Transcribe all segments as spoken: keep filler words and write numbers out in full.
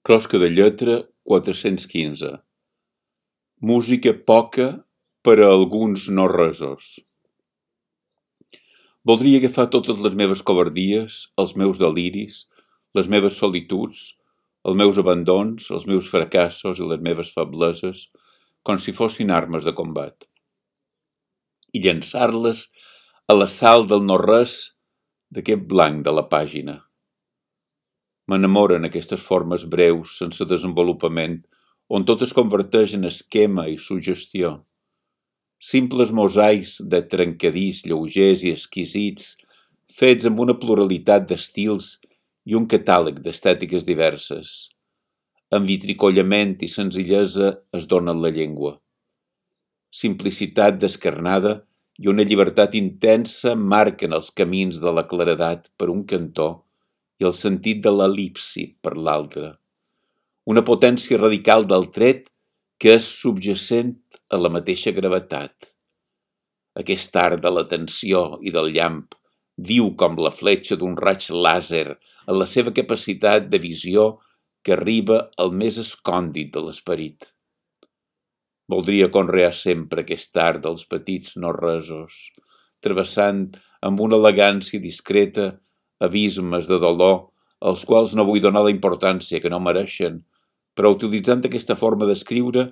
Closca de lletra quatre-cents quinze. Música poca per a alguns no resos. Voldria agafar totes les meves covardies, els meus deliris, les meves solituds, els meus abandons, els meus fracassos i les meves febleses, com si fossin armes de combat, i llançar-les a la sal del no-res d'aquest blanc de la pàgina. M'enamoren aquestes formes breus, sense desenvolupament, on tot es converteix en esquema i suggestió. Simples mosaics de trencadís lleugers i exquisits, fets amb una pluralitat d'estils i un catàleg d'estètiques diverses. Amb vitricollament i senzillesa es donen la llengua. Simplicitat descarnada i una llibertat intensa marquen els camins de la claredat per un cantó i el sentit de l'el·lipsi per l'altre. Una potència radical del tret que és subjacent a la mateixa gravetat. Aquest art de la tensió i del llamp, viu com la fletxa d'un raig làser en la seva capacitat de visió que arriba al més escòndit de l'esperit. Voldria conrear sempre aquest art dels petits no-resos, travessant amb una elegància discreta abismes de dolor als quals no vull donar la importància que no mereixen, però utilitzant aquesta forma d'escriure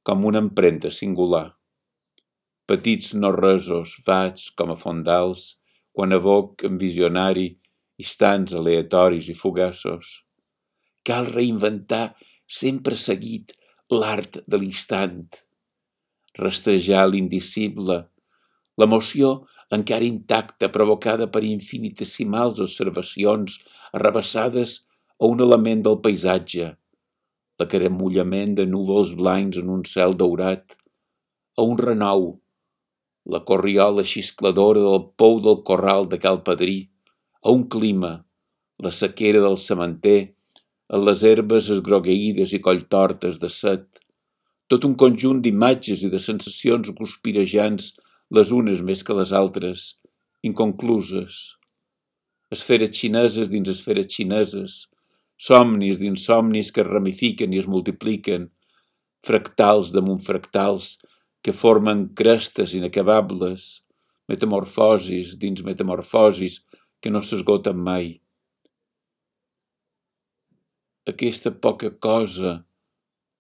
com una empremta singular. Petits no-resos vaig com a fondals quan evoc en visionari instants aleatoris i fugaços. Cal reinventar sempre seguit l'art de l'instant, rastrejar l'indicible, l'emoció encara intacta provocada per infinitesimals observacions arrabassades a un element del paisatge, l'acaramullament de núvols blancs en un cel daurat, a un renou, la corriola xiscladora del pou del corral de Cal Padrí, a un clima, la sequera del sementer, en les herbes esgrogueïdes i colltortes de set, tot un conjunt d'imatges i de sensacions guspirejants, les unes més que les altres, inconcluses. Esferes xineses dins esferes xineses, somnis dins somnis que es ramifiquen i es multipliquen, fractals damunt fractals que formen crestes inacabables, metamorfosis dins metamorfosis que no s'esgoten mai. Aquesta poca cosa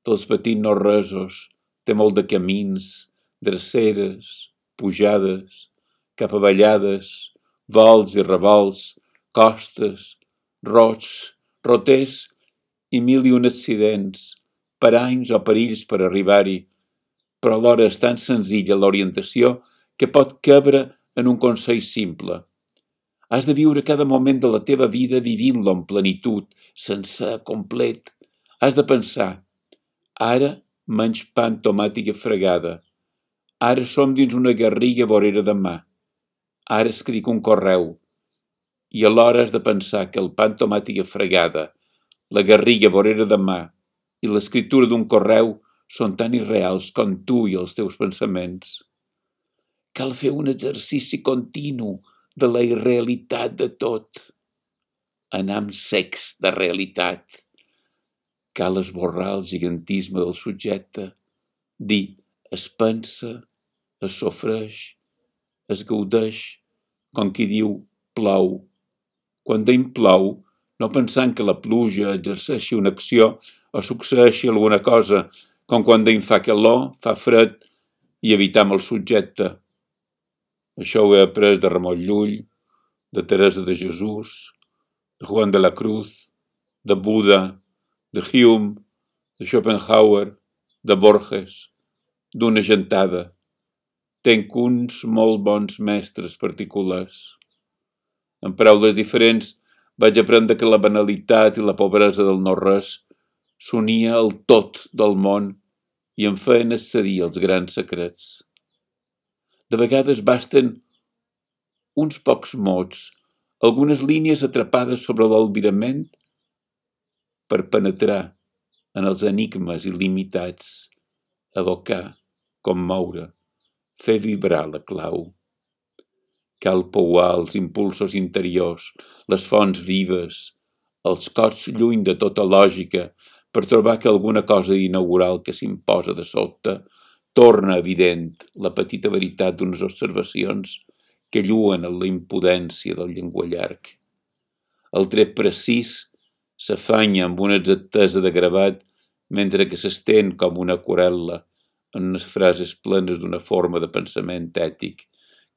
dels petits no-resos té molt de camins, dreceres, pujades, capavallades, vols i revolts, costes, rots, roters i mil i un accidents, paranys o perills per arribar-hi, però alhora és tan senzilla l'orientació que pot cabre en un consell simple. Has de viure cada moment de la teva vida vivint-lo en plenitud, sencer, complet. Has de pensar, ara menys pa amb tomàtica fregada, ara som dins una garriga vorera de mà, ara escric un correu, i alhora has de pensar que el pa amb tomàtica fregada, la garriga vorera de mà i l'escriptura d'un correu són tan irreals com tu i els teus pensaments. Cal fer un exercici continu de la irrealitat de tot. Anar amb secs de realitat. Cal esborrar el gigantisme del subjecte, dir es pensa, es sofreix, es gaudeix, com qui diu plou. Quan deim plou, no pensant que la pluja exerceixi una acció o succeeixi alguna cosa, com quan deim fa calor, fa fred i evitam el subjecte. Això ho he après de Ramon Llull, de Teresa de Jesús, de Juan de la Cruz, de Buda, de Hume, de Schopenhauer, de Borges, d'una gentada. Tenc uns molt bons mestres particulars. En paraules diferents, vaig aprendre que la banalitat i la pobresa del no-res s'unia al tot del món i em feien accedir als grans secrets. De vegades basten uns pocs mots, algunes línies atrapades sobre l'albirament per penetrar en els enigmes il·limitats, evocar, commoure, fer vibrar la clau. Cal pouar els impulsos interiors, les fonts vives, els cors lluny de tota lògica, per trobar que alguna cosa inaugural que s'imposa de sobte torna evident la petita veritat d'unes observacions que lluen en la impudència del llenguallarg. El tret precís s'afanya amb una exactesa de gravat mentre que s'estén com una aquarel·la en unes frases plenes d'una forma de pensament ètic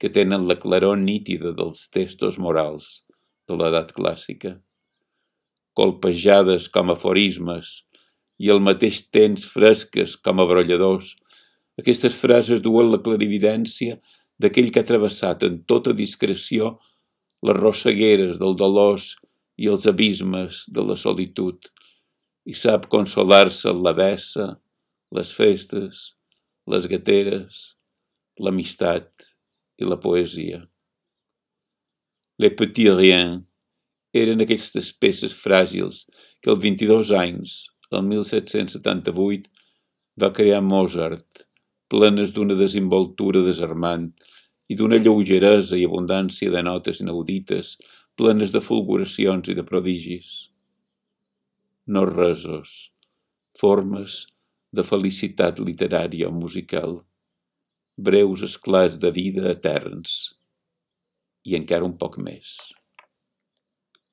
que tenen la claror nítida dels textos morals de l'edat clàssica. Colpejades com aforismes i al mateix temps fresques com a brolladors, aquestes frases duen la clarividència d'aquell que ha travessat en tota discreció les rossegueres del dolors i els abismes de la solitud i sap consolar-se en la bessa, les festes, les gateres, l'amistat i la poesia. Les petits riens eren aquestes peces fràgils que als vint-i-dos anys, el mil set-cents setanta-vuit, va crear Mozart, plenes d'una desimboltura desarmant i d'una lleugeresa i abundància de notes inaudites, plenes de fulguracions i de prodigis. No resos, formes de felicitat literària o musical, breus esclats de vida eterns, i encara un poc més.